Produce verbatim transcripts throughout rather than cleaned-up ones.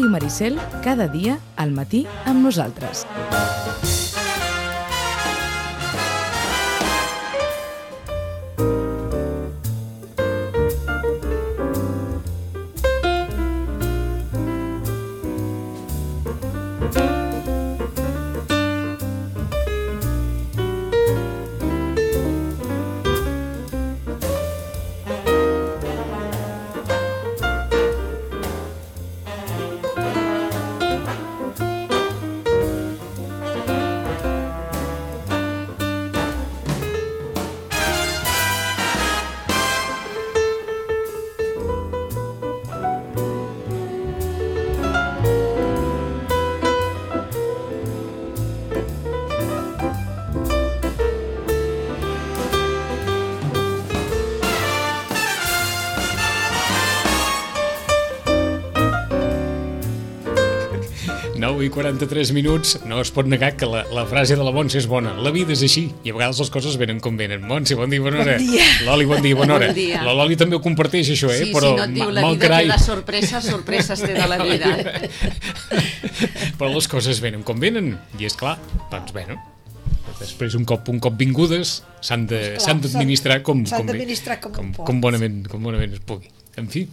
Ràdio Maricel, cada dia al matí amb nosaltres. nou i quaranta-tres minuts, no es pot negar que la, la frase de la Montse és bona. La vida és així, i a vegades les coses venen com venen. Montse, bon dia, bona hora. Bon dia. Loli, bon dia, bona hora. Bon dia. La Loli també ho comparteix, això, eh? Sí, Però, si no et diu la vida carai... té les sorpreses, sorpreses té de la vida. Però les coses venen com venen, i és clar, doncs bé, no? Després, un cop, un cop vingudes, s'han d'administrar com, com, com, com, com, bonament, com bonament es pugui. En fi...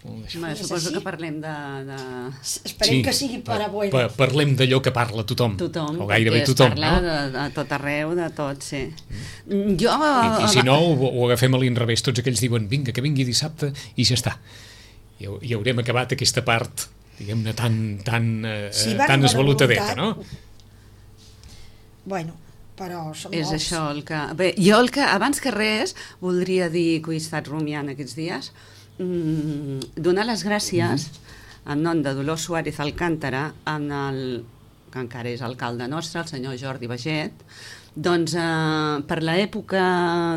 Bé, suposo que parlem de... de... Esperem sí, que sigui per a bueno. Pa, parlem d'allò que parla tothom. Tothom, o gairebé tothom, no? De, de tot arreu, de tot, sí. Mm. Jo... I, I si no, ho, ho agafem a l'inrevés. Tots aquells diuen, vinga, que vingui dissabte, i ja està. I, i haurem acabat aquesta part, diguem-ne, tan, tan, sí, eh, tan esvalutadeta, no? Bueno, però som És molts. això el que... Bé, jo el que, abans que res, voldria dir que ho he estat rumiant aquests dies, mm, donar les gràcies mm-hmm. en nom de Dolors Suárez Alcántara, en el, que encara és alcalde nostre, el senyor Jordi Baget, doncs eh, per l'època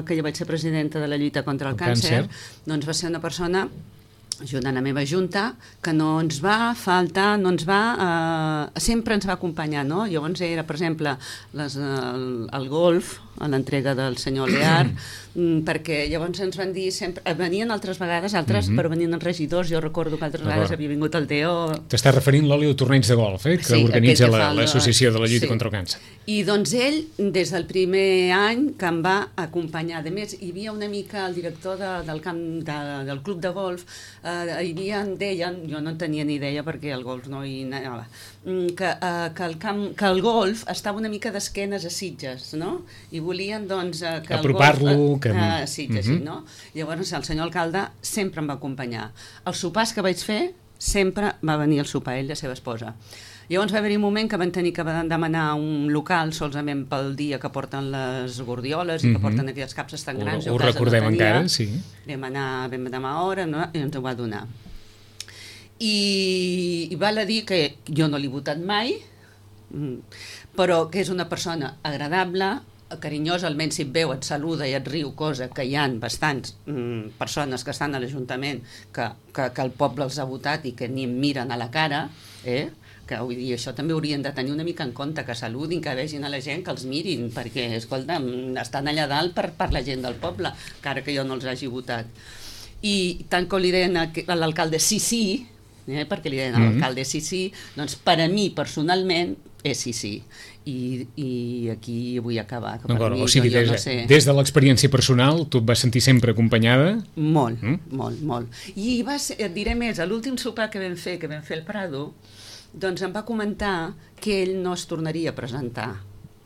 que jo vaig ser presidenta de la lluita contra el, el càncer, càncer, doncs va ser una persona junt a la meva junta, que no ens va faltar, no ens va... Eh, sempre ens va acompanyar, no? Llavors era, per exemple, les, el, el golf, a l'entrega del senyor Lear, perquè llavors ens van dir sempre... Venien altres vegades, altres, mm-hmm. però venien els regidors. Jo recordo que altres vegades havia vingut el Teo... T'estàs referint, l'Oli, al torneig de golf, eh? Que sí, organitza l'Associació la, de la Lluita sí. contra el Càncer. I doncs ell, des del primer any, que em va acompanyar. A més, hi havia una mica el director de, del, camp, de, del club de golf, eh, hi havia, deien, jo no en tenia ni idea perquè el golf no hi anava, que, eh, que, el camp, que el golf estava una mica d'esquenes a Sitges, no? I volien, doncs, eh, que apropar-lo, el golf... Que... Eh, a Sitges, uh-huh. sí, no? Llavors, el senyor alcalde sempre em va acompanyar. Els sopars que vaig fer, sempre va venir el sopar, ell i la seva esposa. Llavors va haver-hi un moment que van tenir que demanar un local solament pel dia que porten les gordioles i que uh-huh. porten aquelles capses tan grans. Ho, ho recordem no encara, sí. Vam anar, vam demanar hora, no? I ens ho va donar. I, i val a dir que jo no l'he votat mai, però que és una persona agradable, carinyosa, almenys si et veu, et saluda i et riu, cosa que hi ha bastants mm, persones que estan a l'Ajuntament que, que, que el poble els ha votat i que ni em miren a la cara, eh? Que vull dir, això també haurien de tenir una mica en compte, que saludin, que vegin a la gent, que els mirin, perquè, escolta, estan allà dalt per, per la gent del poble, encara que jo no els hagi votat. I tant que li deien a l'alcalde sí, sí, eh, perquè li deien a l'alcalde sí, sí, doncs per a mi, personalment, és sí, sí. I, i aquí vull acabar. Que per mi, o sigui, jo, des, jo no sé. Des de l'experiència personal, tu et vas sentir sempre acompanyada? Molt, mm? molt, molt. I va ser, et diré més, a l'últim sopar que vam fer, que vam fer el Prado, doncs em va comentar que ell no es tornaria a presentar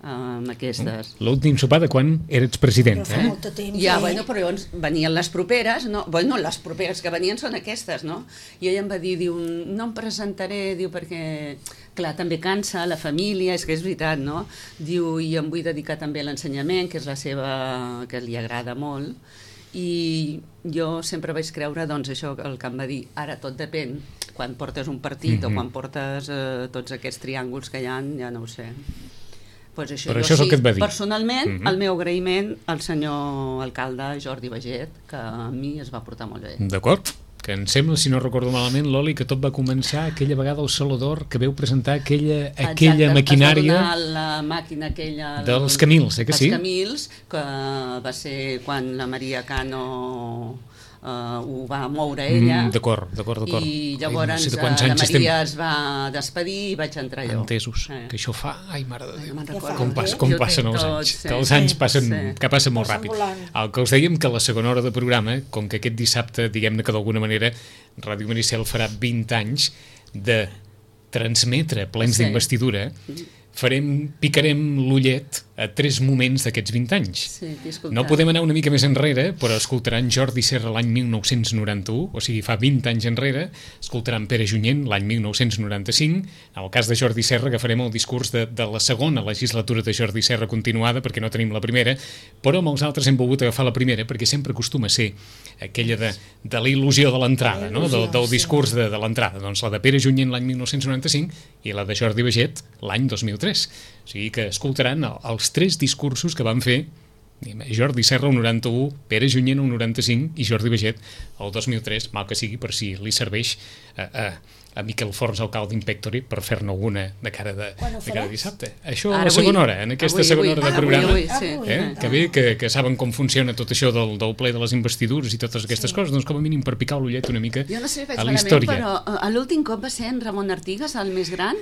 amb aquestes. L'últim sopar de quan eres presidenta, però fa molt de temps, ja, eh? bueno, però llavors venien les properes, no? Bueno, les properes que venien són aquestes, no? I ell em va dir, diu, no em presentaré, diu, perquè, clar, també cansa la família, és que és veritat, no? Diu, i em vull dedicar també a l'ensenyament, que és la seva, que li agrada molt, i jo sempre vaig creure, doncs, això, el que em va dir, ara tot depèn, quan portes un partit mm-hmm. o quan portes eh, tots aquests triànguls que hi ha, ja no ho sé. Pues això, però això és el que et va dir. Personalment, mm-hmm. el meu agraïment al senyor alcalde Jordi Baget, que a mi es va portar molt bé. D'acord, que em sembla, si no recordo malament, Loli, que tot va començar aquella vegada al Saló d'Or, que veu presentar aquella, aquella Exacte, maquinària... es va donar la màquina aquella... Dels Camils, eh que sí? Els Camils, que va ser quan la Maria Cano uh, ho va moure ella. Mm, d'acord, d'acord, d'acord. I llavors ai, no sé de uh, quants la anys Maria estem... es va despedir i vaig entrar jo. Entesos, Eh. que això fa... Ai, mare de Déu, me'n recordo. com, pas, Jo com ho passen tinc els tot, anys, sí. que els anys Sí, passen, sí. que passen molt Passen ràpid. volant. El que us dèiem que la segona hora de programa, com que aquest dissabte, diguem-ne que d'alguna manera Ràdio Maricel farà vint anys de transmetre plens Sí. d'investidura, farem, picarem l'ullet a tres moments d'aquests vint anys. Sí, t'he escoltat. No podem anar una mica més enrere, però escoltaran Jordi Serra l'any mil nou-cents noranta-u, o sigui, fa vint anys enrere, escoltaran Pere Junyent l'any mil nou-cents noranta-cinc. En el cas de Jordi Serra agafarem el discurs de, de la segona legislatura de Jordi Serra continuada, perquè no tenim la primera, però amb els altres hem volgut agafar la primera, perquè sempre acostuma a ser aquella de, de la il·lusió de l'entrada, no? del, del discurs de, de l'entrada. Doncs la de Pere Junyent l'any mil nou-cents noranta-cinc i la de Jordi Baget l'any dos mil tres. O sigui que escoltaran els tres discursos que van fer Jordi Serra el noranta-u, Pere Junyent el noranta-cinc i Jordi Baget el dos mil tres, mal que sigui per si li serveix a, a, a Miquel Forns, alcalde Impectori, per fer-ne alguna de cara de, de cara de dissabte. Això a la segona hora, en aquesta avui, segona avui. hora de Ah, programa. avui, avui, sí. Eh? Que bé, que, que saben com funciona tot això del, del ple de les investidures i totes aquestes sí. coses, doncs com a mínim per picar l'ullet una mica Jo no sé, a vaig la malament, història. però uh, a l'últim cop va ser en Ramon Artigas, el més gran,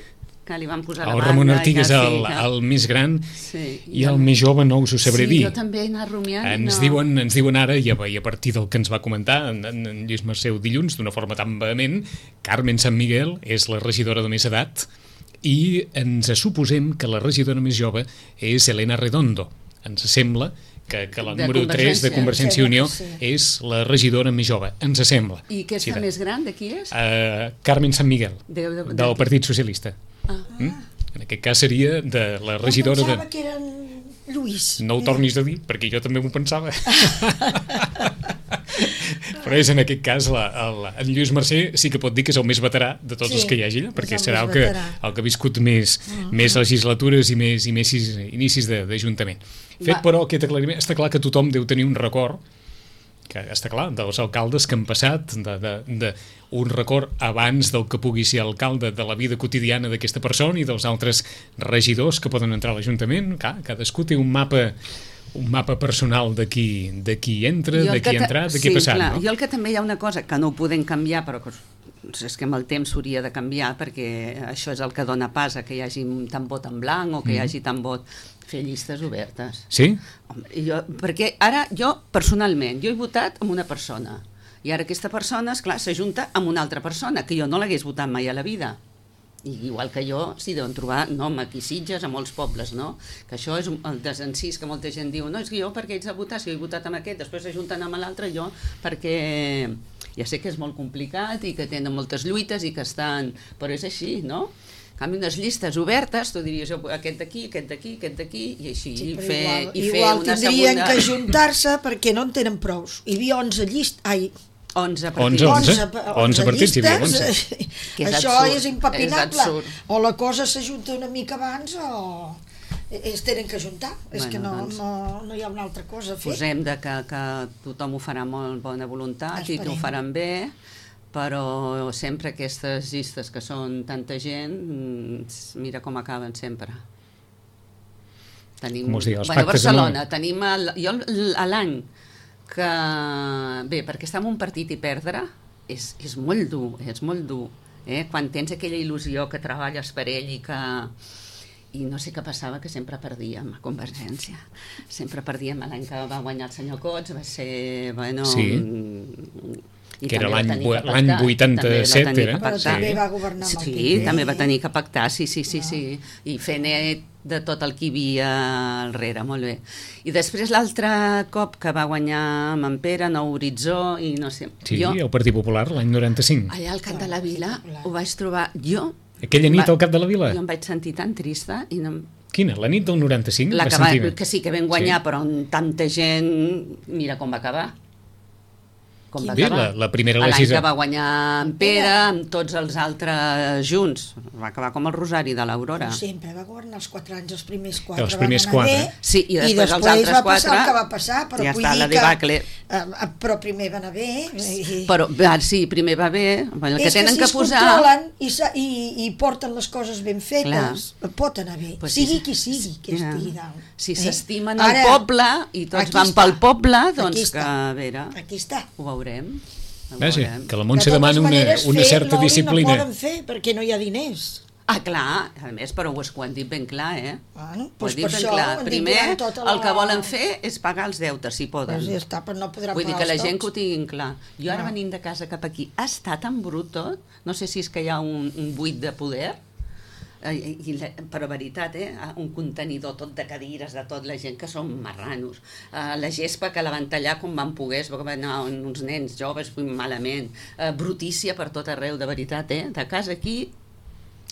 que li van posar la El banda. Ramon Artigas, i ja, el, sí, que... el més gran, sí, i el més jove no us ho sabré sí, dir. jo també he anat rumiant. Ens, no. diuen, ens diuen ara, i a, i a partir del que ens va comentar en, en, en Lluís Merceu dilluns, d'una forma tan vehement, Carmen San Miguel és la regidora de més edat i ens suposem que la regidora més jove és Elena Redondo. Ens sembla que, que la De número tres de Convergència i Unió sí. és la regidora més jove, ens sembla. I aquesta Sí, de- més gran, de qui és? Uh, Carmen San Miguel, De- de- de- del Partit Socialista. Ah. Mm? En aquest cas seria de la regidora Jo de... pensava que eren Lluís. No ho tornis a dir, perquè jo també m'ho pensava. Però és en aquest cas la, el, en Lluís Mercè sí que pot dir que és el més veterà de tots Sí, els que hi hagi allà, perquè és el serà el més que, veterà. el que ha viscut més, mm. més legislatures i més, i més inicis de- d'Ajuntament. Fet, Va. però, aquest aclariment, està clar que tothom deu tenir un record, que està clar, dels alcaldes que han passat, de, de, de un record abans del que pugui ser alcalde, de la vida quotidiana d'aquesta persona i dels altres regidors que poden entrar a l'Ajuntament. Clar, cadascú té un mapa un mapa personal de qui, de qui entra, Jo de el que qui ha ta- entrat, de sí, qui ha passat. clar, No? Jo el que també hi ha una cosa que no ho podem canviar, però que és que amb el temps s'hauria de canviar, perquè això és el que dona pas a que hi hagi tant vot en blanc o que Mm. hi hagi tant vot, fer llistes obertes. Sí? Home, jo, perquè ara jo, personalment, jo he votat amb una persona, i ara aquesta persona, esclar, s'ajunta amb una altra persona, que jo no l'hagués votat mai a la vida. I igual que jo, s'hi deuen trobar, no, aquí a Sitges, a molts pobles, no? Que això és un- el desencís que molta gent diu, no, és que jo perquè ets de votar, si jo he votat amb aquest, després s'ajunten amb l'altre, jo perquè ja sé que és molt complicat i que tenen moltes lluites i que estan... Però és així, no? En canvi, unes llistes obertes, tu diries, jo, aquest d'aquí, aquest d'aquí, aquest d'aquí, i així, Sí, i però fer, igual, i fer igual una tindrien segona... que ajuntar-se perquè no en tenen prous. Hi havia onze llistes... Ai, onze onze, partits. onze. onze partits, hi havia onze. Que és Això absurd, és impepinable. és absurd. O la cosa s'ajunta una mica abans o es tenen que ajuntar. És Bueno, que no, doncs, no, no hi ha una altra cosa a fer. Posem de que, que tothom ho farà amb molt bona voluntat i que ho Esperem. faran bé, però sempre aquestes llistes que són tanta gent, mm, mira com acaben sempre. Tenim, Com us dic, els bueno, a pactes Barcelona, amb- tenim el, jo l- a l'any que... Bé, perquè estar en un partit i perdre és, és molt dur, és molt dur. Eh? Quan tens aquella il·lusió que treballes per ell i que... I no sé què passava, que sempre perdíem a Convergència. Sempre perdíem. L'any que va guanyar el senyor Cots va ser... Bueno, Sí. mm, i Que era també va l'any tenir vu- que pactar, l'any també va vuitanta-set, tenir era? que Però pactar. també va governar amb el Sí, P P. també va tenir que pactar, sí, sí, sí, sí. I fer net de tot el que hi havia al darrere, molt bé. I després l'altre cop que va guanyar amb en Pere, Nou Horitzó, i no sé... Sí, jo, el Partit Popular, l'any noranta-cinc. allà al Camp de la Vila ho vaig trobar... Jo... Aquella nit va- al Cap de la Vila? Jo em vaig sentir tan trista i no, Quina? La nit del noranta-cinc? la vas que, va, sentir bé? que sí que vam guanyar, sí. Però amb tanta gent, mira com va acabar. Com va Bé, acabar. la- la primera L'any legisla- que va guanyar en Pere, amb tots els altres junts. Va acabar com el Rosari de l'Aurora. Com sempre, va governar els quatre anys, els primers quatre Els primers van anar quatre. bé, Sí, i després els després altres va passar quatre, el que va passar, però ja vull està, dir la que, debacle. eh, però primer va anar bé. I, Però ah, sí, primer va bé, bueno, el que és que tenen si que es posar... controlen i, sa- i, i porten les coses ben fetes, Clar. pot anar bé, Pues sigui sí, qui sigui que ja. estigui dalt. Si eh? s'estimen Ara, el poble i tots aquí van està, pel poble, aquí doncs que, està. a veure, Aquí està. ho veurem. Ho Vaja, veurem. que la Montse demana una, una certa disciplina. No poden fer perquè no hi ha diners. Ah, clar, a més, però ho, ho han dit ben clar, eh? Bueno, Ho doncs han dit per ben això clar. ho han dit Primer, durant tota la- el que volen fer és pagar els deutes, si poden. Doncs ja està, però no podran Vull dir pagar que la els gent tots. que ho tinguin clar. Jo ara Ah. venint de casa cap aquí, ha estat tan brut tot, no sé si és que hi ha un, un buit de poder, eh, i, la, però veritat, eh? Un contenidor tot de cadires, de tot, la gent que són marranos. Uh, la gespa que la van tallar com van poguer, es va anar uns nens joves malament, uh, brutícia per tot arreu, de veritat, eh? De casa aquí,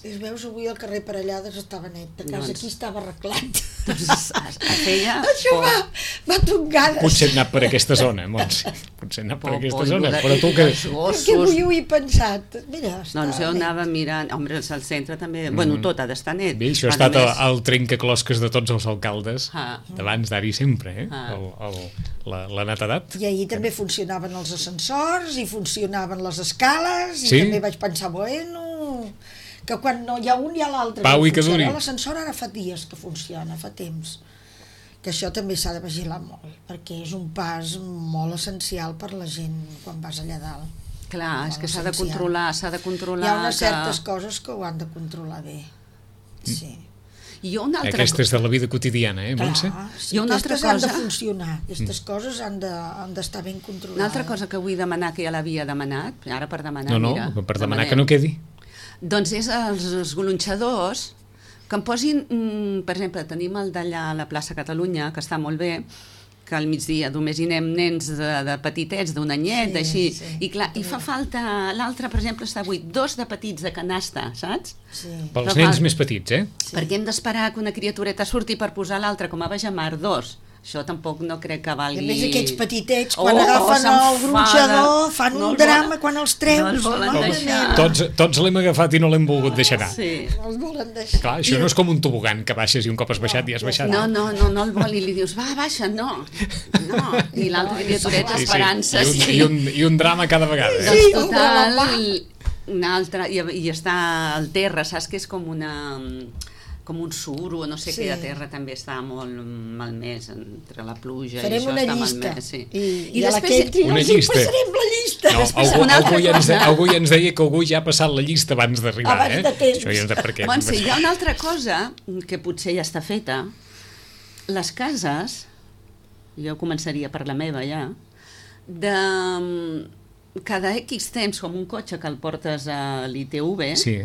Es veus, avui al carrer Parellades estava net, de casa Doncs- aquí estava arreglat. doncs, es, es, es feia... Això por. va, va tongades. Potser hem anat per aquesta zona, Montse. Potser hem anat per Por- aquesta por- zona, i- però tu i que... els Perquè gossos, avui ho he pensat. Mira, està doncs jo net. anava mirant, home, al centre també, bueno, tot ha d'estar net. Bé, això ha A estat el, més- el trencaclosques de tots els alcaldes Ah. d'abans d'ara i sempre, eh? Ah. El, el, la, la netedat. I ahir també funcionaven els ascensors i funcionaven les escales i Sí? també vaig pensar, bueno, que quan no hi ha un hi ha l'altre. Pau i que Funciona. duri. L'ascensor ara fa dies que funciona, fa temps. Que això també s'ha de vigilar molt, perquè és un pas molt essencial per la gent quan vas allà dalt. Clar, és Molt que s'ha de essencial. controlar, s'ha de controlar... Hi ha unes que... certes coses que ho han de controlar bé. Sí. I jo una altra... Aquestes de la vida quotidiana, eh, Montse? Clar, sí, I una altra aquestes han de cosa- funcionar, aquestes coses han de- han d'estar ben controlades. Una altra cosa que vull demanar, que ja l'havia demanat, ara per demanar, No, no, mira... per demanar demanem. que no quedi. Doncs és els esgolonxadors que em posin, mm, per exemple, tenim el d'allà a la plaça Catalunya, que està molt bé, que al migdia només hi anem nens de, de petitets, d'un anyet, Sí, així, sí, i clar, i fa falta, l'altre, per exemple, està buit, dos de petits de canasta, saps? Sí. Pels Però nens fa- més petits, eh? Sí. Perquè hem d'esperar que una criatureta surti per posar l'altre, com a Bajamar, dos. Això tampoc no crec que I valgui... a més aquests petitets, quan Oh, agafen el s'enfada. gronxador, fan No un els drama volen- quan els no treus. els volen mare deixar. meva. Tots, tots l'hem agafat i no l'hem volgut deixar anar. Sí. No els volen deixar. Clar, això no és com un tobogan que baixes i un cop has baixat ja has ja baixat. No, no, no, no el vol i li dius, va, baixa, no. No, i l'altra criatureta Sí, sí. esperant-se. I, un, i, un, I un drama cada vegada. Eh? Doncs Sí, total, un una altra, i, i està al terra, saps que és com una com un suro, no sé Sí. què, a terra també està molt malmès entre la pluja Farem i això una està llista. malmès, sí. I, i, I a la després Ketty Una els hi llista. passarem la llista. No, Després, algú, una altra algú, ja ens de, cosa. algú ja ens deia que algú ja ha passat la llista abans d'arribar, Abans eh? de temps. Això ja és de per què. Montse, hi ha una altra cosa que potser ja està feta. Les cases, jo començaria per la meva ja, de cada X temps, com un cotxe que el portes a l'I T V, Sí,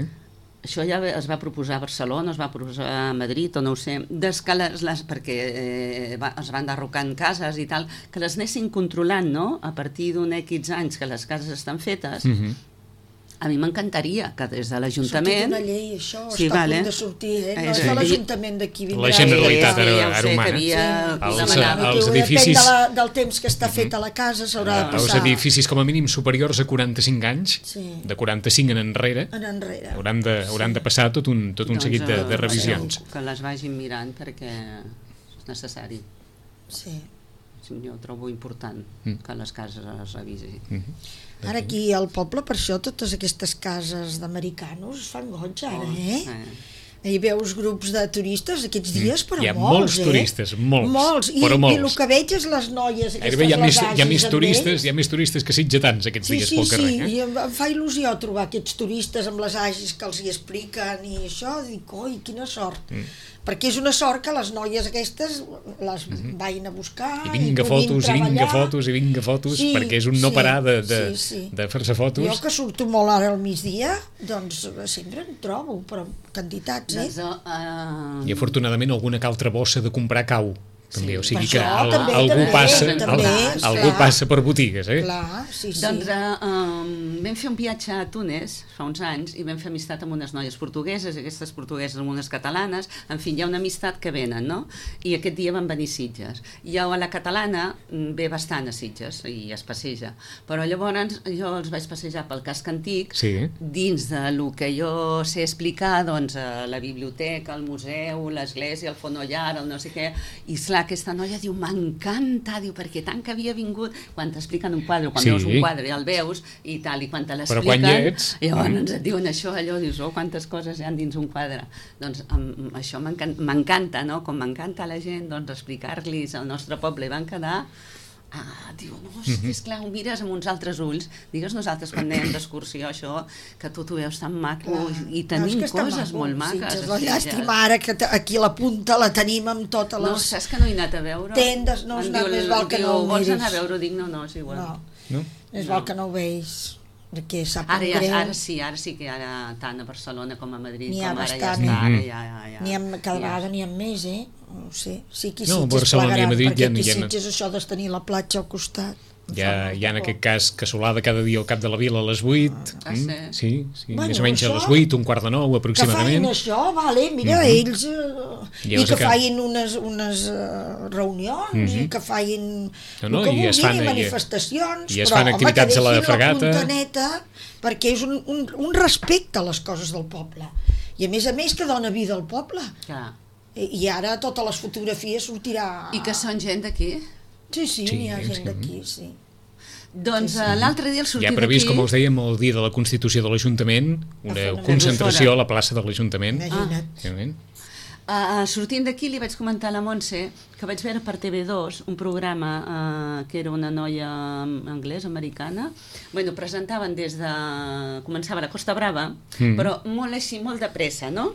això ja es va proposar a Barcelona, es va proposar a Madrid, o no ho sé, des que les, les, perquè eh, va, es van derrocant cases i tal, que les anessin controlant, no?, a partir d'un X anys que les cases estan fetes. mm -hmm. A mi m'encantaria que des de Ha sortit l'Ajuntament... una llei, això, Sí, està vale. a punt de sortir, eh? No Eh, és sí. de l'Ajuntament d'aquí vindrà. La Generalitat Sí, ara, ja ho ara sé, humana. que havia Els, demanat. eh, els Depèn edificis... de la, del temps que està feta la casa, s'haurà de Els passar edificis com a mínim superiors a quaranta-cinc anys, Sí. de quaranta-cinc en enrere, en enrere. hauran de, hauran de passar tot un, tot un Doncs, seguit de, de eh, revisions. Que les vagin mirant perquè és necessari. Sí. Jo trobo important Mm. que les cases es revisin. Mm. Ara aquí al poble, per això, totes aquestes cases d'americans es fan goig, ara, eh? Hi veus grups de turistes aquests dies, però Hi ha molts, molts eh? turistes, molts, molts. I, però molts. I el que veig és les noies, aquestes Gairebé hi ha, més, les hi ha més agis amb turistes, ells. hi ha més turistes que sitgetans aquests Sí, dies sí, pel carrer. sí, Eh? i em, em fa il·lusió trobar aquests turistes amb les agis que els hi expliquen i això, dic, oi, quina sort. Mm. Perquè és una sort que les noies aquestes les vagin a buscar I vinga puguin fotos, i vinga treballar. fotos, i vinga fotos, Sí, perquè és un no sí, parar de, de, sí, sí. de fer-se fotos. Jo que surto molt ara al migdia, doncs sempre en trobo, però quantitats, eh? Doncs, uh, I afortunadament alguna que altra bossa de comprar cau. També, Sí, o sigui per que això, al, també, algú, també, passa, també, al, algú clar. passa per botigues, eh? Clar, sí, sí. Doncs uh, um, vam fer un viatge a Túnez fa uns anys i vam fer amistat amb unes noies portugueses, aquestes portugueses amb unes catalanes, en fi, hi ha una amistat que venen, no? I aquest dia van venir Sitges. I a la catalana ve bastant a Sitges i es passeja, però llavors jo els vaig passejar pel casc antic, Sí. dins de lo que jo sé explicar, doncs, a la biblioteca, el museu, l'església, el fonollar, el no sé què, i esclar, aquesta noia diu, m'encanta, diu, perquè tant que havia vingut, quan t'expliquen un quadre, quan Sí. veus un quadre i el veus, i tal, i quan te l'expliquen, Però quan hi ets... llavors Mm. ens et diuen això, allò, dius, oh, quantes coses hi ha dins un quadre. Doncs um, això m'encan- m'encanta, no? Com m'encanta a la gent, doncs, explicar-los el nostre poble, i van quedar Ah, diu, no, és que esclar, ho mires amb uns altres ulls. Digues nosaltres quan anem d'excursió, això, que tu t'ho veus tan maco i tenim coses molt maques. Sí, és la llàstima ara que aquí a la punta la tenim amb totes les... No, saps que no he anat a veure? Tendes, no, no, més val que no ho miris. Vols anar a veure-ho? Dic, no, no, és igual. No, més val que no ho veus. Perquè sap ara, ja, greu. ara sí, ara sí que ara tant a Barcelona com a Madrid com ara bastant, ja està, ara ja, ja, ja. N'hi ha, cada ja. vegada n'hi ha més, eh? No sé, sí que no, Sitges plegaran, Madrid, perquè ja, aquí ja, Sitges això de tenir la platja al costat. Ja, ja en aquest cas casolada cada dia al cap de la vila a les vuit. Ah, sí? Mm, sí, sí. Bueno, més o menys això, a les vuit, un quart de nou aproximadament. Que facin això, vale, mira, mm -hmm. ells... Uh, I que que... facin unes, unes uh, reunions, mm -hmm. i que facin... No, no, que i es fan, manifestacions, i, i es però, fan activitats home, a la fregata. La puntaneta, perquè és un, un, un respecte a les coses del poble. I a més a més que dona vida al poble. Clar. I, i ara totes les fotografies sortirà... I que són gent d'aquí? Sí, sí, sí, n'hi ha gent sí. d'aquí, sí. Doncs sí, sí. l'altre dia el sortir d'aquí... Ja previst, com els dèiem, el dia de la Constitució de l'Ajuntament, una concentració a la plaça de l'Ajuntament. Imagina't. Ah. Uh, sortint d'aquí li vaig comentar a la Montse que vaig veure per T V dos un programa uh, que era una noia anglesa, americana. Bueno, presentaven des de... Començava a la Costa Brava, mm. però molt així, molt de pressa, no?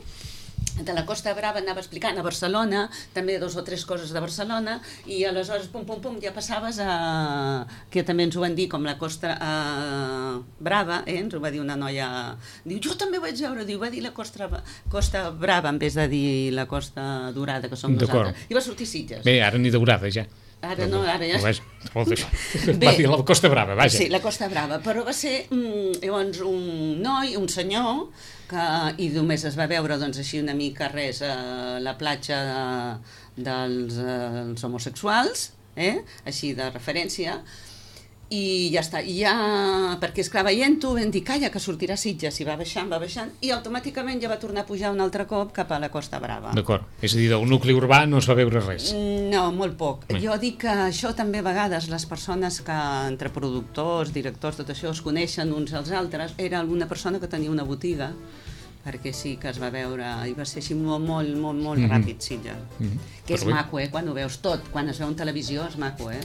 De la Costa Brava anava explicant a Barcelona, també dos o tres coses de Barcelona, i aleshores, pum, pum, pum, ja passaves a... que també ens ho van dir, com la Costa uh, Brava, eh? Ens ho va dir una noia... Diu, jo també ho vaig veure, diu, va dir la Costa, Costa Brava en vez de dir la Costa Dorada, que som nosaltres. I va sortir Sitges. Bé, ara ni Daurada, ja. Ara no, ara ja... Va dir la Costa Brava, vaja. Sí, la Costa Brava, però va ser mm, llavors un noi, un senyor, que, i només es va veure doncs, així una mica res a la platja de, dels eh, homosexuals, eh? Així de referència, i ja està, i ja, perquè esclar, veient-ho vam dir, calla, que sortirà Sitges, i va baixant, va baixant, i automàticament ja va tornar a pujar un altre cop cap a la Costa Brava. D'acord, és a dir, del nucli urbà no es va veure res. No, molt poc. Mm. Jo dic que això també a vegades les persones que, entre productors, directors, tot això, es coneixen uns als altres, era alguna persona que tenia una botiga, perquè sí que es va veure, i va ser així molt, molt, molt, molt mm -hmm. ràpid, Sitges. Mm -hmm. Que és maco, eh, quan ho veus tot, quan es veu en televisió és maco, eh?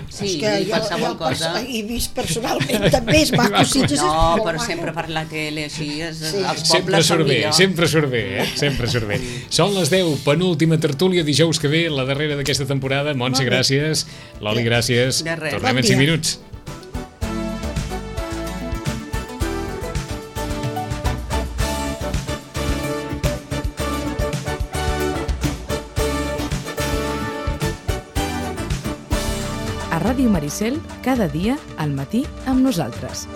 Sí, és i qualsevol cosa. He vist personalment, també és maco, Sitges és no, molt però maco. Sempre per la tele, així, és, sí. els sempre pobles són bé, millor. sempre surt bé, eh? Sempre surt bé. Són les deu, penúltima tertúlia, dijous que ve, la darrera d'aquesta temporada. Montse, gràcies. Loli, gràcies. De res. Tornem en cinc minuts. A Ràdio Maricel, cada dia al matí amb nosaltres.